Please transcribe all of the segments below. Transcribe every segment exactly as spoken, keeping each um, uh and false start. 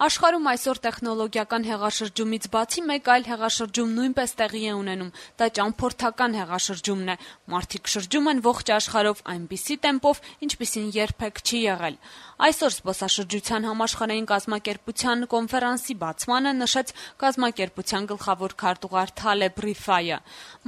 Աշխարհում այսօր տեխնոլոգիական հեղաշրջումից բացի մեկ այլ հեղաշրջում նույնպես տեղի է ունենում, դա ճամփորդական հեղաշրջումն է։ Մարդիկ շրջում են ողջ աշխարհով այնպիսի տեմպով, ինչպիսին երբեք չի եղել։ Այսօր զբոսաշրջության համաշխարհային կազմակերպության կոնֆերանսի բացմանը նշեց կազմակերպության գլխավոր քարտուղար Թալեբ Ռիֆայը։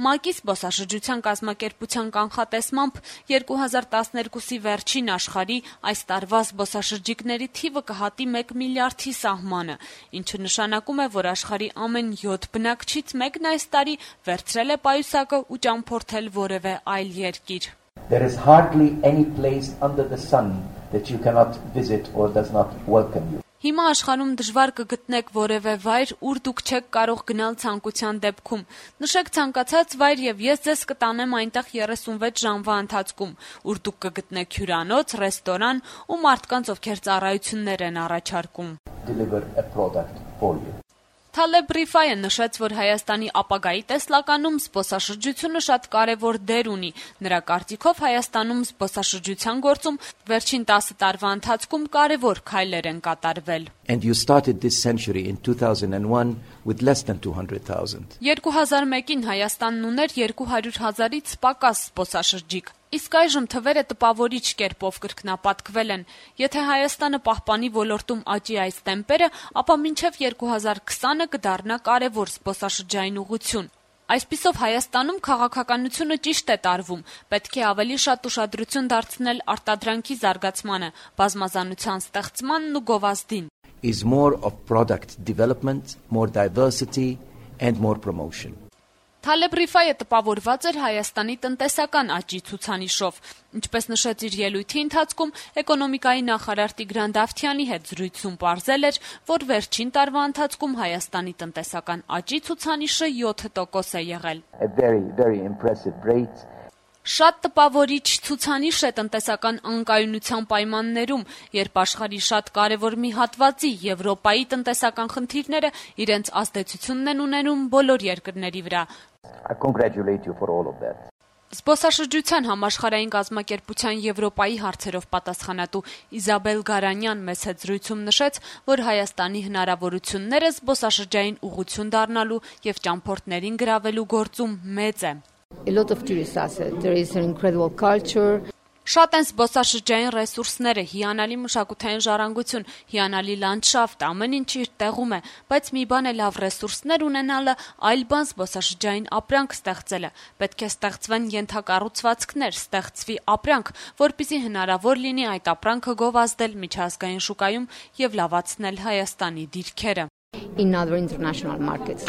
ՄԱԿ-ի զբոսաշրջության կազմակերպության կանխատեսմամբ երկու հազար տասներկուսի վերջին աշխարհի այս տարվա զբոսաշրջիկների թիվը կհատի մեկ միլիարդի սահմանը, ինչը նշանակում է, որ աշխարհի ամեն յոթ բնակչից մեկն այս տարի վերցրել է պայուսակը ու ճամփորդել որևէ այլ երկիր։ There is hardly any place under the sun that you cannot visit or does not welcome you. Հիմա աշխարհում դժվար կգտնեք որևէ վայր, ուր դուք չեք կարող գնալ ցանկության դեպքում։ Նշեք ցանկացած վայր եւ ես ձեզ կտանեմ այնտեղ երեսունվեց ժամվա ընթացքում, ուր դուք կգտնեք հյուրանոց, ռեստորան ու մարդկանց, ովքեր ծառայություններ են առաջարկում։ Deliver a product for you. Թալեբ Ռիֆայը նշեց, որ Հայաստանի ապագայի տեսլականում զբոսաշրջությունը շատ կարևոր դեր ունի։ Նրա կարծիքով Հայաստանում զբոսաշրջության գործում վերջին տասը տարվա ընթացքում կարևոր քայլեր են կատարվել։ And you started this century in two thousand one with less than two hundred thousand. երկու հազար մեկին Հայաստանն ուներ երկու հարյուր հազարից պակաս զբոսաշրջիկ։ Իսկ այժմ թվերը տպավորիչ կերպով կրկնապատկվել են։ Եթե Հայաստանը պահպանի ոլորտում աճի այս տեմպերը, ապա մինչև երկու հազար քսանը կդառնա կարևոր զբոսաշրջային ուղղություն։ Այսպիսով Հայաստանում քաղաքականությունը ճիշտ է տարվում, պետք է ավելի շատ ուշադրություն դարձնել արտադրանքի զարգացմանը, բազմազանության ստեղծմանն ու գովազդին։ Is more of product development, more diversity and more promotion. Թալեբ Ռիֆայը տպավորված էր Հայաստանի տնտեսական աճի ցուցանիշով։ Ինչպես նշեց իր ելույթի ընթացքում, էկոնոմիկայի նախարար Տիգրան Դավթյանի հետ զրույցում պարզել էր, որ վերջին տարվա ընթացքում Հայաստանի տնտեսական աճի ցուցանիշը յոթ տոկոս է եղել։ A very very impressive rate. Շատ տպավորիչ ցուցանիշ է տնտեսական անկայունության պայմաններում, երբ աշխարհի շատ կարևոր մի հատվածի Եվրոպայի տնտեսական խնդիրները իրենց ազդեցությունն են ունենում բոլոր երկրների վրա։ I congratulate you for all of that. Զբոսաշրջության համաշխարհային կազմակերպության Եվրոպայի հարցերով պատասխանատու Իզաբել Գարանյան մեծ հետ զրույցում նշեց, որ Հայաստանի հնարավորությունները զբոսաշրջային ուղղություն դառնալու եւ ճամփորդներին գրավելու գործում մեծ է։ A lot of tourists are said there is an incredible culture. Շատ են զբոսաշրջային ռեսուրսները, հիանալի մշակութային ժառանգություն, հիանալի լանդշաֆտ, ամեն ինչ իր տեղում է, բայց մի բան է լավ ռեսուրսներ ունենալը, այլ բան զբոսաշրջային ապրանք ստեղծելը։ Պետք է ստեղծվեն ենթակառուցվածքներ, ստեղծվի ապրանք, որպեսզի հնարավոր լինի այդ ապրանքը գովազդել միջազգային շուկայում եւ լավացնել Հայաստանի դիրքերը։ In other international markets.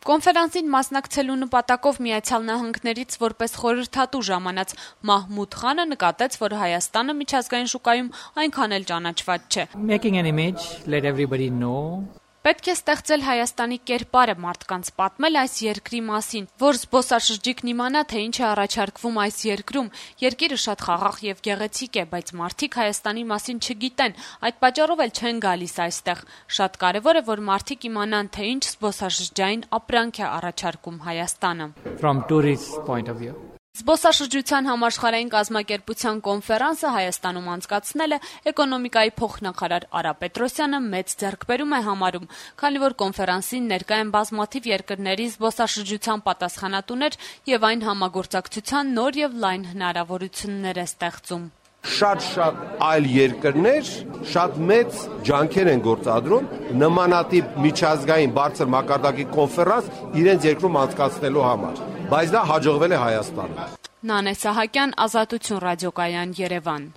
Կոնֆերանսին մասնակցելու նպատակով Միացյալ Նահանգներից որպես խորհրդատու ժամանած Մահմուդ Խանը նկատեց, որ Հայաստանը միջազգային շուկայում այնքան էլ ճանաչված չէ։ Making an image, let everybody know. Պետք է ստեղծել Հայաստանի կերպարը, մարդկանց պատմել այս երկրի մասին, որ զբոսաշրջիկն իմանա, թե ինչ է առաջարկվում այս երկրում։ Երկիրը շատ խաղաղ եւ գեղեցիկ է, բայց մարդիկ Հայաստանի մասին չգիտեն, այդ պատճառով էլ չեն գալիս այստեղ։ Շատ կարեւոր է, որ մարդիկ իմանան, թե ինչ զբոսաշրջային ապրանք է առաջարկում Հայաստանը։ From tourist point of view. Զբոսաշրջության համաշխարհային կազմակերպության կոնֆերանսը Հայաստանում անցկացնել է էկոնոմիկայի փոխնախարար Արա Պետրոսյանը մեծ ձեռքբերում է համարում, քանի որ կոնֆերանսին ներկա են բազմաթիվ երկրների զբոսաշրջության պատասխանատուներ եւ այն համագործակցության նոր եւ լայն հնարավորություններ է ստեղծում։ Շատ-շատ այլ երկրներ շատ մեծ ջանքեր են գործադրում նմանատիպ միջազգային բարձր մակարդակի կոնֆերանս իրենց երկրում անցկացնելու համար, բայց դա հաջողվել է Հայաստանում։ Նանե Սահակյան, Ազատություն ռադիոկայան, Երևան։